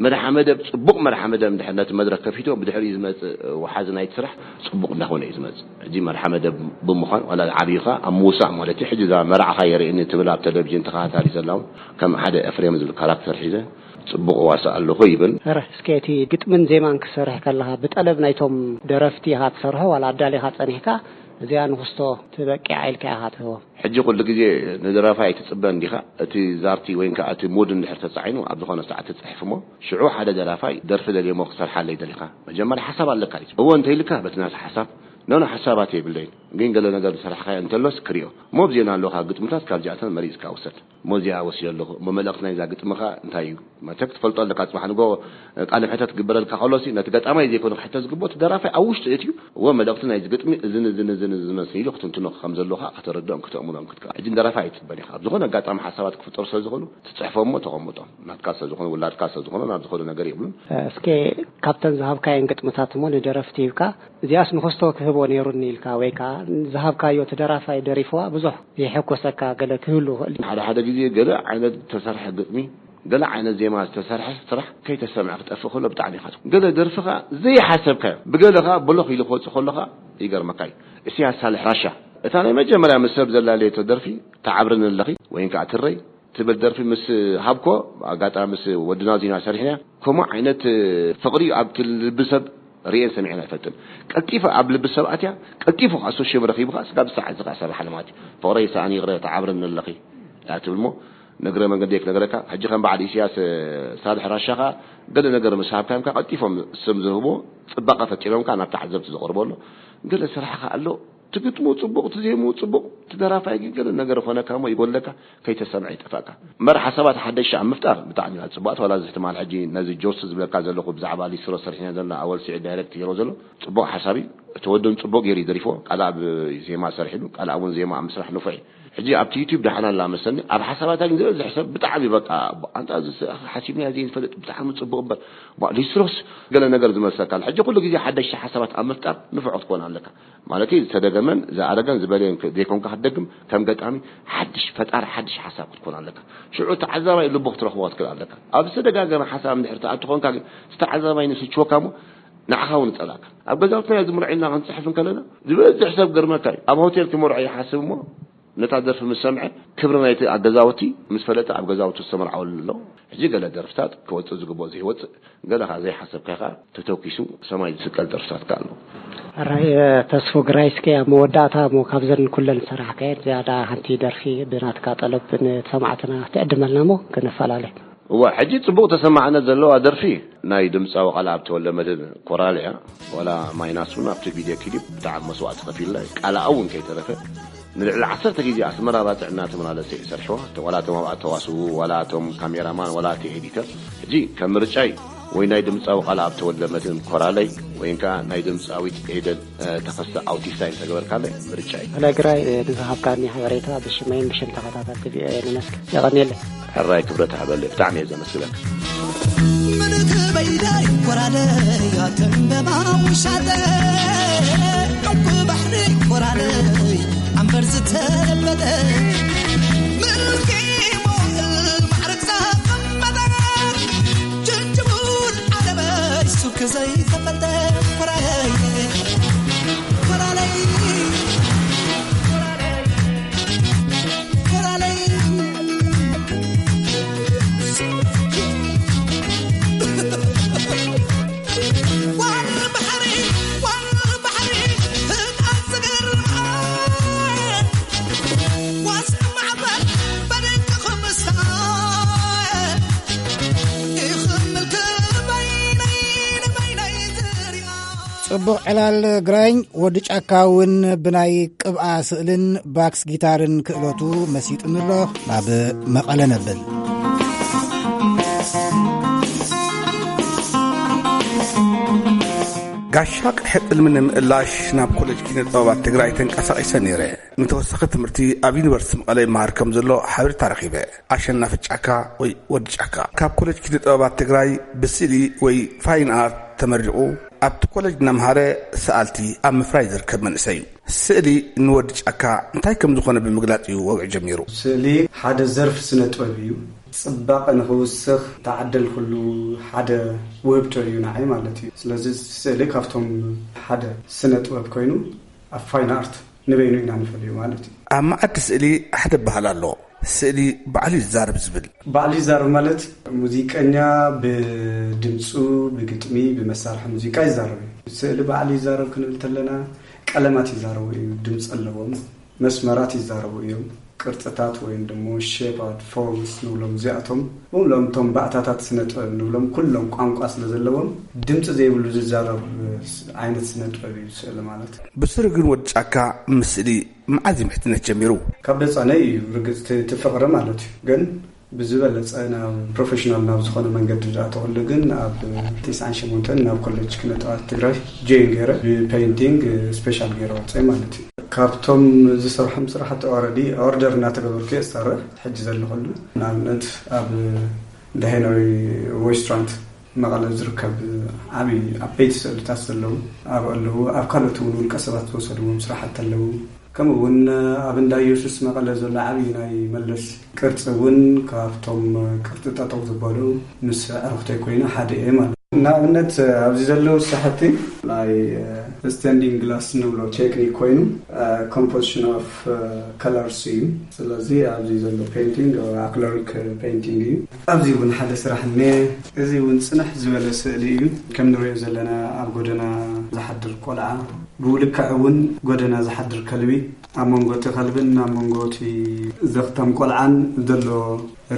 መራሒ መደብ ጽቡቕ መራሒ መደብ እንድሕር ነቲ መድረኽ ከፊቶ ብድሕሪኡ ዝመጽእ ወሓዚ ናይቲ ስራሕ ጽቡቕ እንዳኾነ እዩ ዝመጽእ። ሕጂ መራሒ መደብ ብምዃን ዋላ ዓብይኻ ኣብ ምውሳእ ማለት እዩ። ሕጂ እዛ መርዓኻ የርእየኒ ትብል ኣብ ቴሌቪዥን ተኸታታሊ ዘላ እውን ከም ሓደ ኤፍሬም ዝብል ካራክተር ሒዘ ጽቡቕ እዋሳእ ኣለኹ ይብል። ረ እስከ እቲ ግጥምን ዜማን ክትሰርሕ ከለኻ ብጠለብ ናይቶም ደረፍቲ ኢኻ ትሰርሖ ዋላ ኣዳሊኻ ጸኒሕካ እዚኣ ንኽስቶ ትበቂዓ ኢልካ ኢኻ ትህቦም? ሕጂ ኩሉ ግዜ ንደራፋይ ኣይትጽበን ዲኻ? እቲ ዛርቲ ወይ ከዓ እቲ ሙድ እንድሕር ተጻዒኑ ኣብ ዝኾነ ሰዓት ትጽሕፍ እሞ ሽዑ ሓደ ደራፋይ ደርፊ ደልየ እሞ ክሰርሓለይ ደሊኻ መጀመርያ ሓሳብ ኣለካ እዩ። እወ እንተኢልካ በቲ ናቱ ሓሳብ ኖኖ ሓሳባት የብለይን ግን ገለ ነገር ዝሰራሕካዮ እንተሎስ ክሪኦ እሞ ብዜና ኣለኻ ግጥምታት ካብዚኣተን መሪጽካ ውሰድ። እሞ እዚኣ ወሲደ ኣለኹ እሞ መልእኽቲ ናይዛ ግጥምኻ እንታይ እዩ? መቸም ክትፈልጦ ኣለካ። ጽባሕ ንጎ ቃለ መሕተት ክግበረልካ ከሎሲ ነቲ ገጣማይ ዘይኮነ ክሕተት ዝግብኦ እቲ ደራፋይ ኣብ ውሽጡ እትዩ እወ መልእኽቲ ናይዚ ግጥሚ እዝን እዝን እዝን እዝን መስል ኢሉ ክትንትኖ ከም ዘለዎ ከዓ ከተረድኦም ከተእምሮም ክትከ ሕጂ ንደራፋይ ኣይትበን ኢኻ። ኣብ ዝኾነ ኣጋጣሚ ሓሳባት ክፍጠሩ ስለ ዝኾኑ ትጽሕፎ እሞ ተቐምጦም ናትካ ስለ ዝኾነ ውላድካ ስለ ዝኾነ ናብ ዝኾነ ነገር የብሉን። እስከ ካብተን ዝሃብካየን ግጥምታት እሞ ንደረፍቲ ሂብካ እዚኣስ ንኸስቶ ክህቦ ነይሩኒ ኢልካ ወይ ከዓ ዝሃብካዮ እቲ ደራፋይ ደሪፍዋ ብዙሕ የሐጎሰካ ገለ ክህሉ ይኽእል እዩ። ሓደ ሓደ ግዜ ገለ ዓይነት ተሰርሐ ግጥሚ ገለ ዓይነት ዜማ ዝተሰርሐ ስራሕ ከይተሰምዐ ክጠፍእ ከሎ ብጣዕሚ ኢኻ ትጉ። ገለ ደርፊ ኸኣ ዘይሓሰብካዮ ብገለ ኸኣ ብሎኽ ኢሉ ክወጽእ ከሎ ኸኣ ይገርመካ እዩ። እስያስ ሳልሕ ራሻ እታ ናይ መጀመርያ ምስ ሰብ ዘላለየቶ ደርፊ ትዓብርኒ ኣለኺ ወይን ከኣ ትረይ ትብል ደርፊ ምስ ሃብኮ ኣጋጣሚ ምስ ወድና ዚና ሰሪሕና ከምኡ ዓይነት ፍቕሪ ኣብቲ ልቢ ሰብ ርእየን ሰሚዐን ኣይፈልጥን። ቀልጢፈ ኣብ ልቢ ሰብ ኣትያ ቀልጢፉ ከዓ ሶሽም ረኺቡ ከዓ ስጋብ ሰዓት እዚ ከዓ ሰራሓ ማለት እዩ። ፍቕረይ ሰኣን ይቕረ ትዓብርኒ ኣለኺ እያ ትብል እሞ ንእግረ መንገዲ ክነግረካ ሕጂ ከም በዓል ኢሳያስ ሳልሕ ራሻ ከዓ ገለ ነገር ምስ ሃብካዮም ከዓ ቀልጢፎም ስም ዝህቡ ፅባቐ ፈጢሮም ከዓ ናብ ተዓዘብቲ ዘቕርቦ ኣሎ። ገለ ስራሕ ከዓ ኣሎ ትግጥሙ ፅቡቕ ትዜሙ ፅቡቕ ትደራፋይ ግን ገለ ነገር ኾነካ እሞ ይጎለካ ከይተሰምዐ ይጠፋእካ እምበር ሓሳባት ሓደሽ ኣብ ምፍጣር ብጣዕሚ እያ ፅቡቕቲ ዋላ እዚ ትማል ሕጂ ነዚ ጆርስ ዝብለካ ዘለኹ ብዛዕባ ሊስትሮ ሰሪሕና ዘለና ኣወል ስዒድ ዳይሬክት ገይሮ ዘሎ ፅቡቕ ሓሳብ እዩ እቲ ወድን ፅቡቕ ገይሩ ይደሪፎ ቃልኣብ ዜማ ሰሪሕሉ ቃልኣብ እውን ዜማ ኣብ ምስራሕ ንፉዕ እዩ ሕጂ ኣብቲ ዩቲዩብ ደሓና ኣላ መሰኒ ኣብ ሓሳባታ ግን ዝበዝሕ ሰብ ብጣዕሚ በቃ ኣንታ እዚ ሓሲብናዮ ዘይንፈልጥ ብጣዕሚ ፅቡቕ እምበር ሊስትሮስ ገለ ነገር ዝመሰካ ኣሎ ሕጂ ኩሉ ግዜ ሓደሽቲ ሓሳባት ኣብ ምፍጣር ንፉዕ ክትኮን ኣለካ ማለት ዝተደገመን ዝኣረገን ዝበለየን ዘይኮንካ ክትደግም ከም ገጣሚ ሓድሽ ፈጣሪ ሓድሽ ሓሳብ ክትኮን ኣለካ ሽዑ ተዓዛባይ ልቡ ክትረኽቦ ክትክእል ኣለካ ኣብ ዝተደጋገመ ሓሳብ እንድሕር ትኣቱ ኮንካ ግን ዝተዓዛባይ ንስችወካ እሞ ንዓኻ እውን ይጸላእካ። ኣብ ገዛውትና ዝምርዖ ኢልና ክንጽሕፍ እንከለና ዝበዝሕ ሰብ ገርመካ እዩ። ኣብ ሆቴል ክመርዖ ይሓስብ እሞ ነታ ደርፊ ምስ ሰምዐ ክብሪ ናይቲ ኣገዛውቲ ምስ ፈለጠ ኣብ ገዛውቲ ዝተመርዓወሉ ኣሎ። ሕጂ ገለ ደርፍታት ክወጽእ ዝግብኦ ዘይወጽእ፣ ገለ ከኣ ዘይሓሰብካ ከኣ ተተኪሱ ሰማይ ዝስቀል ደርፍታት ከኣ ኣሎ። ኣራይ ተስፉ ግራይ፣ እስከ ኣብ መወዳእታ እሞ ካብዘን ኩለን ዝሰራሕካየን ዝያዳ ሓንቲ ደርፊ ብናትካ ጠለብ ንሰማዕትና ትዕድመልና እሞ ክነፈላለ። እዋ፣ ሕጂ ጽቡቕ ተሰማዕነት ዘለዋ ደርፊ ናይ ድምጻዊ ቃልኣብ ተወልደ መድህን ኮራል እያ። ዋላ ማይናስ እውን ኣብቲ ቪድዮ ክሊፕ ብጣዕሚ መስዋእቲ ከፊልና እዩ። ቃልኣ እውን ከይተረፈ ንልዕሊ ዓሰርተ ግዜ ኣስመራ ባጽዕ እናተመላለሰ እዩ ሰርሕዋ። ዋላ እቶም ኣብኣ ተዋስኡ፣ ዋላ እቶም ካሜራማን፣ ዋላ እቲ ኤዲተር። ሕጂ ከም ምርጫይ ወይ ናይ ድምጻዊ ቃልኣብ ተወልደ መድህን ኮራለይ ወይ ከዓ ናይ ድምጻዊት ኤደን ተኸስተ ኣውቲስታ እንተገበርካለይ ምርጫ እዩ። ኣላይ ግራይ፣ ንዝሃብካኒ ሓበሬታ ብሽመይን ብሽም ተኸታተልቲ ቪኦኤ ነመስግን። የቐንየለይ። ሕራይ ክብረት ሃበለይ። ብጣዕሚ እየ ዘመስግነካ። ምልክ በይዳይ ኮራለይ ኣተንበባ ውሻጠ ዕንቁ ባሕሪ ኮራለይ ኣንበር ዝተለበጠ ምልኪ ሞል ማዕረግ ዘቐመጠ ጅንጅቡል ዓለመይ ሱክ ዘይተፈልጠ ኮራለይ፣ ኮራለይ፣ ኮራለይ። ዋል ባሕሪ፣ ዋል ባሕሪ፣ ህጣን ዝገርም ዋስ ማዕበል በደቅኹም ሳወ ይኽምል ክበይነይ ንበይነይ ዝሪኣ። ጽቡቕ ዕላል ግራኝ። ወዲ ጫካ እውን ብናይ ቅብኣ ስእልን ባክስ ጊታርን ክእለቱ መሲጡኒ ኣሎ። ናብ መቐለ ነብል። ጋሻ ቅድሒ ቅልሚ ንምእላሽ ናብ ኮሌጅ ኪነ ጥበባት ትግራይ ተንቀሳቒሰ ነይረ። ንተወሳኺ ትምህርቲ ኣብ ዩኒቨርሲቲ መቐለ ይመሃር ከም ዘሎ ሓበሬታ ረኺበ። ኣሸናፊ ጫካ ወይ ወዲ ጫካ ካብ ኮሌጅ ኪነ ጥበባት ትግራይ ብስእሊ ወይ ፋይን ኣርት ተመሪቑ ኣብቲ ኮሌጅ እናምሃረ ሰኣልቲ ኣብ ምፍራይ ዝርከብ መንእሰይ እዩ። ስእሊ ንወዲ ጫካ እንታይ ከም ዝኾነ ብምግላጽ እዩ ወግዒ ጀሚሩ። ስእሊ ሓደ ዘርፊ ስነ ጥበብ እዩ። ጽባቐ ንኽውስኽ ተዓደልኩሉ ሓደ ውህብቶ እዩ ንዓይ ማለት እዩ። ስለዚ ስእሊ ካብቶም ሓደ ስነ ጥበብ ኮይኑ ኣብ ፋይን ኣርት ንበይኑ ኢና ንፈልዮ ማለት እዩ። ኣብ መዓዲ ስእሊ ሓደ ባህል ኣሎ፣ ስእሊ ባዕሉ ይዛረብ ዝብል። ባዕሉ ይዛረብ ማለት ሙዚቀኛ ብድምፁ፣ ብግጥሚ፣ ብመሳርሒ ሙዚቃ ይዛረብ እዩ። ስእሊ ባዕሉ ይዛረብ ክንብል ተለና ቀለማት ይዛረቡ እዩ፣ ድምፂ ኣለዎም፣ መስመራት ይዛረቡ እዮም። ቅርፅታት ወይም ደሞ ሼፓት ፎርምስ ንብሎም እዚኣቶም፣ ብሎም እቶም ባእታታት ስነ ጥበብ ንብሎም ኩሎም ቋንቋ ስለ ዘለዎም ድምፂ ዘይብሉ ዝዛረብ ዓይነት ስነ ጥበብ እዩ ስእሊ ማለት። ብስሩ ግን ወዲ ጫካ ምስእሊ መዓዝ ምሕትነት ጀሚሩ? ካብ ደጻነይ እዩ ርግጽ እቲ ፍቕሪ ማለት እዩ። ግን ብዝበለጸ ናብ ፕሮፌሽናል ናብ ዝኾነ መንገዲ ዝኣተወሉ ግን ኣብ ትስዓን ሸሞንተን ናብ ኮሌጅ ኪነ ጥበባት ትግራይ ጆይን ገይረ ብፔይንቲንግ ስፔሻል ገይረ ወፀ ማለት እዩ። ካብቶም ዝሰርሖም ስራሕቲ ኦረዲ ኦርደር እናተገበርኩ እየ ዝሰርሕ ሕጂ ዘለኹሉ። ንኣብነት ኣብ ዳሄናዊ ሬስቶራንት መቐለ ዝርከብ ዓብዪ ዓበይቲ ስእልታት ዘለዉ ኣብ ኣለዉ ኣብ ካልኦት እውን ውልቀ ሰባት ዝወሰድዎም ስራሕቲ ኣለዉ። ከምኡ እውን ኣብ እንዳ ኢየሱስ መቐለ ዘሎ ዓብዪ ናይ መለስ ቅርፂ እውን ካብቶም ቅርፂ ጠጠው ዝበሉ ምስ ዕርክተይ ኮይኑ ሓደ እየ ማለት እዩ። ንኣብነት ኣብዚ ዘለዉ ስራሕቲ ናይ ስቴንዲንግ ግላስ ንብሎ ቴክኒክ ኮይኑ ኮምፖዚሽን ኦፍ ከለርስ እዩ። ስለዚ ኣብዚ ዘሎ ፔይንቲንግ ኣክለሪክ ፔይንቲንግ እዩ። ኣብዚ እውን ሓደ ስራሕ እኒአ። እዚ እውን ፅንሕ ዝበለ ስእሊ እዩ። ከም ንሪኦ ዘለና ኣብ ጎደና ዝሓድር ቆልዓ፣ ብኡ ልክዕ እውን ጎደና ዝሓድር ከልቢ፣ ኣብ መንጎ እቲ ከልብን ኣብ መንጎ እቲ ዘኽታም ቆልዓን ዘሎ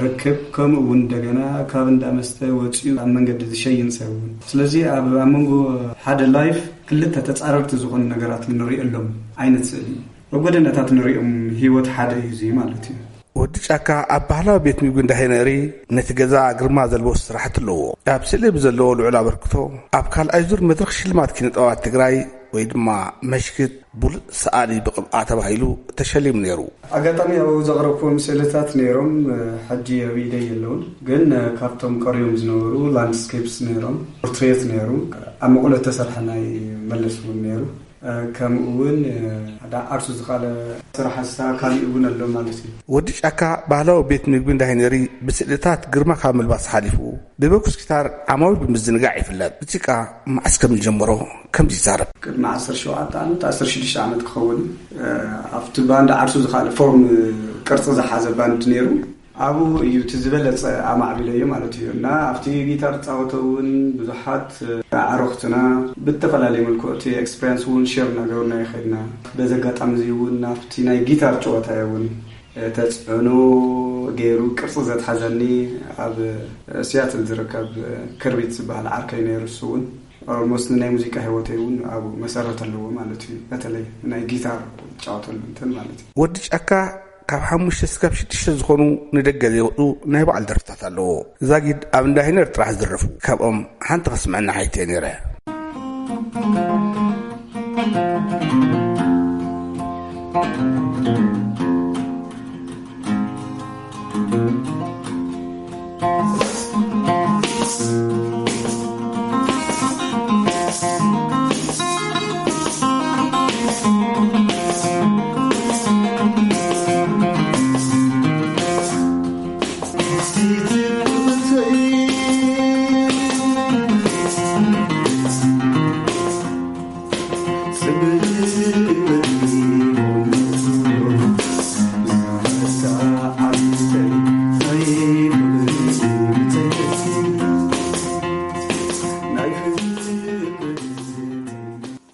ርክብ፣ ከምኡ እውን እንደገና ካብ እንዳ መስተ ወፂኡ ኣብ መንገዲ ዝሸይን ሰብ እውን። ስለዚ ኣብ ኣብ መንጎ ሓደ ላይፍ ክልተ ተፃረርቲ ዝኾኑ ነገራት ንሪእሎም ዓይነት ስእሊ እዩ። ኣብ ጎደናታት ንሪኦም ህይወት ሓደ እዩ እዚ ማለት እዩ። ወዲ ጫካ ኣብ ባህላዊ ቤት ምግቢ እንዳ ሄነሪ ነቲ ገዛ ግርማ ዘልበሱ ስራሕቲ ኣለዎ። ኣብ ስእሊ ብዘለዎ ልዑል ኣበርክቶ ኣብ ካልኣይ ዙር መድረኽ ሽልማት ኪነ ጥበባት ትግራይ ወይ ድማ መሽክት ብሉጽ ሰኣሊ ብቕብኣ ተባሂሉ ተሸሊሙ ነይሩ። ኣጋጣሚ ኣብኡ ዘቕረብኩዎም ስእልታት ነይሮም፣ ሕጂ ኣብ ኢደይ የለውን፣ ግን ካብቶም ቀሪዮም ዝነበሩ ላንድስኬፕስ ነይሮም፣ ፖርትሬት ነይሩ፣ ኣብ መቐለ እተሰርሐ ናይ መለስ እውን ነይሩ። ከምኡ እውን ሓደ ዓርሱ ዝኻለ ስራሕ ሓሳ ካሊእ እውን ኣሎ ማለት እዩ። ወዲ ጫካ ባህላዊ ቤት ምግቢ እንዳይነሪ ብስእልታት ግርማ ካብ ምልባስ ሓሊፉ ብበኩስ ጊታር ዓማዊል ብምዝንጋዕ ይፍለጥ። ሙዚቃ መዓስ ከም ዝጀመሮ ከምዚ ይዛረብ። ቅድሚ ዓሰርተ ሸውዓተ ዓመት፣ ዓሰርተ ሽዱሽተ ዓመት ክኸውን፣ ኣብቲ ባንድ ዓርሱ ዝኻለ ፎርም፣ ቅርፂ ዝሓዘ ባንድ ነይሩ። ኣብኡ እዩ እቲ ዝበለፀ ኣማዕቢለዮ ማለት እዩ። እና ኣብቲ ጊታር ፃወተ እውን ብዙሓት ኣዕሩኽትና ብተፈላለየ መልክዑ እቲ ኤክስፔሪንስ እውን ሼር እናገበርና ይኸድና። በዚ ኣጋጣሚ እዚ እውን ኣብቲ ናይ ጊታር ጨወታ እውን ተፅዕኖ ገይሩ ቅርፂ ዘትሓዘኒ ኣብ ሲያትል ዝርከብ ክርቢት ዝበሃል ዓርከይ ነይሩ። እሱ እውን ኦልሞስት ንናይ ሙዚቃ ህይወተይ እውን ኣብ መሰረት ኣለዎ ማለት እዩ። በተለይ ናይ ጊታር ጫወተሉ እንትን ማለት እዩ። ወዲ ጫካ ካብ ሓሙሽተ ስካብ ሽዱሽተ ዝኾኑ ንደገ ዘይወፁ ናይ ባዕሉ ደርፍታት ኣለዎ። ዛጊድ ኣብ እንዳ ሂነር ጥራሕ ዝድረፉ ካብኦም ሓንቲ ከስምዐና ሓይተ ነይረ።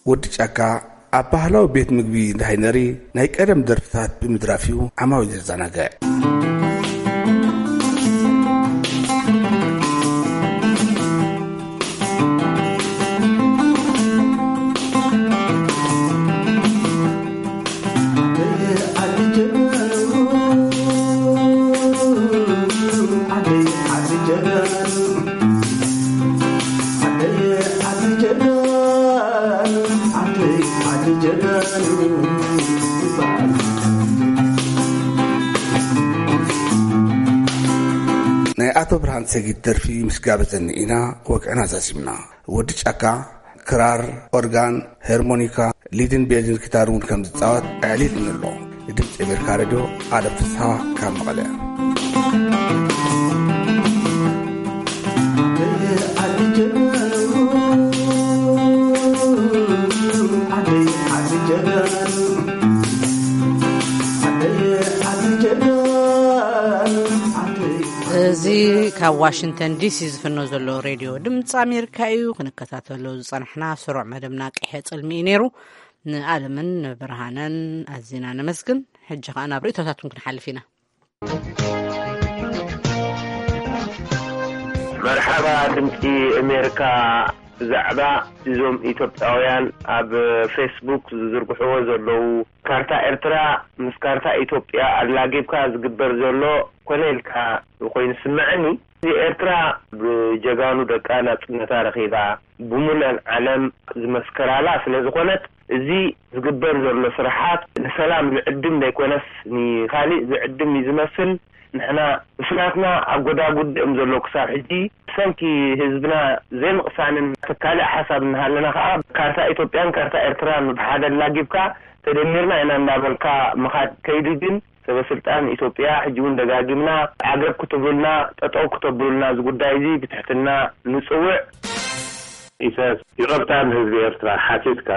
ወዲ ጫካ ኣብ ባህላዊ ቤት ምግቢ እንዳ ሃይነሪ ናይ ቀደም ደርፍታት ብምድራፍ እዩ ዓማዊል ዘዘናግዕ። ናይ ኣቶ ብርሃን ሰጊድ ደርፊ ምስ ጋበዘኒ ኢና ወግዕና ዛዚምና። ወዲ ጫካ ክራር፣ ኦርጋን፣ ሄርሞኒካ፣ ሊድን ቤዝን ጊታር እውን ከም ዝጻወት ኣዕሊልኒ ኣሎ። ንድምፂ ኣሜሪካ ሬድዮ ኣለም ፍስሃ ካብ መቐለ። እዚ ካብ ዋሽንግተን ዲሲ ዝፍኖ ዘሎ ሬድዮ ድምፂ ኣሜሪካ እዩ። ክንከታተሎ ዝፀናሕና ስሩዕ መደብና ቀይሐ ፅልሚ እዩ ነይሩ። ንኣለምን ንብርሃነን ኣዚና ነመስግን። ሕጂ ኸኣ ናብ ርእይቶታትኩም ክንሓልፍ ኢና። መርሓባ ድምፂ ኣሜሪካ። ብዛዕባ እዞም ኢትዮጵያውያን ኣብ ፌስቡክ ዝዝርግሕዎ ዘለዉ፣ ካርታ ኤርትራ ምስ ካርታ ኢትዮጵያ ኣላጊብካ ዝግበር ዘሎ ኮነ ኢልካ ኮይኑ ዝስምዐኒ፣ እዚ ኤርትራ ብጀጋኑ ደቃ ናጽነታ ረኺባ፣ ብሙሉእ ዓለም ዝመስከራላ ስለ ዝኾነት፣ እዚ ዝግበር ዘሎ ስራሓት ንሰላም ዝዕድም ዘይኮነስ ንኻሊእ ዝዕድም እዩ ዝመስል። ንሕና ብስናትና ኣብ ጎዳጉዲ እዮም ዘለዉ ክሳብ ሕጂ። ብሰንኪ ህዝብና ዘይምቕሳንን ካልእ ሓሳብ እናሃለና ከኣ፣ ካርታ ኢትዮጵያን ካርታ ኤርትራን ብሓደ ኣላጊብካ፣ ተደሚርና ኢና እንዳበልካ ምኻድ ከይዱ። ግን ሰበ ስልጣን ኢትዮጵያ፣ ሕጂ እውን ደጋጊምና ዓገብ ክትብሉልና፣ ጠጠው ክተብሉልና፣ እዚ ጉዳይ እዚ ብትሕትና ንጽውዕ። ኢሳያስ፣ ይቕርታ ንህዝቢ ኤርትራ ሓቲትካ፣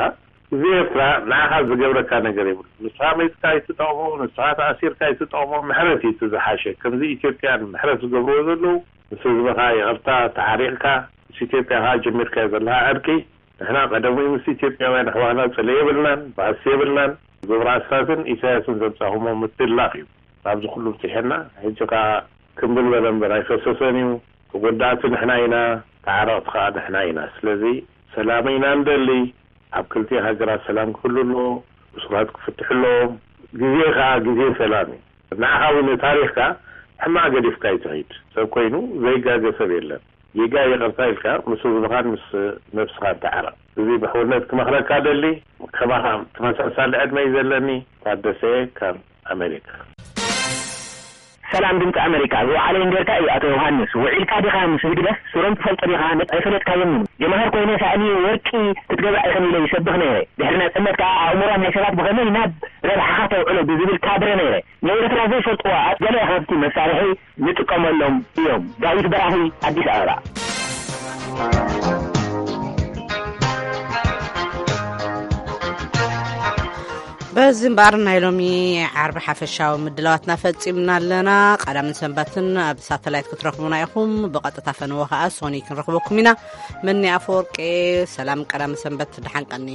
ህዝቢ ኤርትራ ንዓኻ ዝገብረካ ነገር የብሉ። ንስኻ መይትካ ኣይትጠቕሞ፣ ንስኻ ተኣሲርካ ኣይትጠቕሞ፣ ምሕረት እዩ እቲ ዝሓሸ። ከምዚ ኢትዮጵያን ምሕረት ዝገብርዎ ዘለዉ፣ ምስ ህዝብኻ ይቕርታ ተዓሪቕካ፣ ምስ ኢትዮጵያ ኸዓ ጀሚርካዮ ዘለኻ ዕርቂ፣ ንሕና ቀደሙ ምስ ኢትዮጵያውያን ኣሕዋትና ጽልኢ የብልናን፣ ባእሲ የብልናን። ግብረ ኣስታትን ኢሳያስን ዘምጻኹሞ ምትላኽ እዩ ናብዚ ኩሉ ብጺሐና። ሕጂ ኸዓ ክምብል በለ እምበር ኣይፈሰሰን እዩ። ተጎዳእቲ ንሕና ኢና፣ ተዓረቕቲ ኸዓ ንሕና ኢና። ስለዚ ሰላም ኢና ንደሊ። ኣብ ክልቲኡ ሃገራት ሰላም ክህሉ ኣለዎ፣ እሱራት ክፍትሑ ኣለዎም። ግዜ ኸዓ ግዜ ሰላም እዩ። ንዓኻ እውን ታሪኽካ ሕማቕ ገዲፍካ እዩ ትኸይድ። ሰብ ኮይኑ ዘይጋገ ሰብ የለን። ጌጋ ይቕርታ ኢልካ ምስ ህዝብኻን ምስ ነብስኻን ተዓረቕ። እዚ ብሕውነት ክመኽረካ ደሊ። ከማኻ ተመሳሳሊ ዕድመ እዩ ዘለኒ። ታደሰ ካብ ኣሜሪካ። ሰላም ድምፂ ኣመሪካ፣ ዝወዓለ እንጌርካ እዩ ኣቶ ዮሃንስ። ውዒልካ ዲኻ ምስ ህግደፍ? ስሮም ትፈልጦ ዲኻ? ነጥ-፣ ኣይፈለጥካዮምን። ጀማሃር ኮይነ ሳእኒ ወርቂ ክትገዛእ ኢኸን ኢለ ይሰብኽ ነይረ። ድሕሪ ናፅነት ከኣ ኣእምሮ ናይ ሰባት ብኸመይ ናብ ረብሓኻ ተውዕሎ ብዝብል ካድረ ነይረ። ንኤርትራ ዘይፈልጥዋ ገለ ካብቲ መሳርሒ ንጥቀመሎም እዮም። ዳዊት በራኺ፣ ኣዲስ ኣበባ። በዚ እምበኣር ናይ ሎሚ ዓርቢ ሓፈሻዊ ምድላዋትና ፈጺምና ኣለና። ቀዳምን ሰንበትን ኣብ ሳተላይት ክትረኽቡና ኢኹም። ብቐጥታ ፈነወ ከኣ ሶኒ ክንረኽበኩም ኢና። መኒ ኣፈወርቂ፣ ሰላም ቀዳምን ሰንበት፣ ደሓን ቀኒ።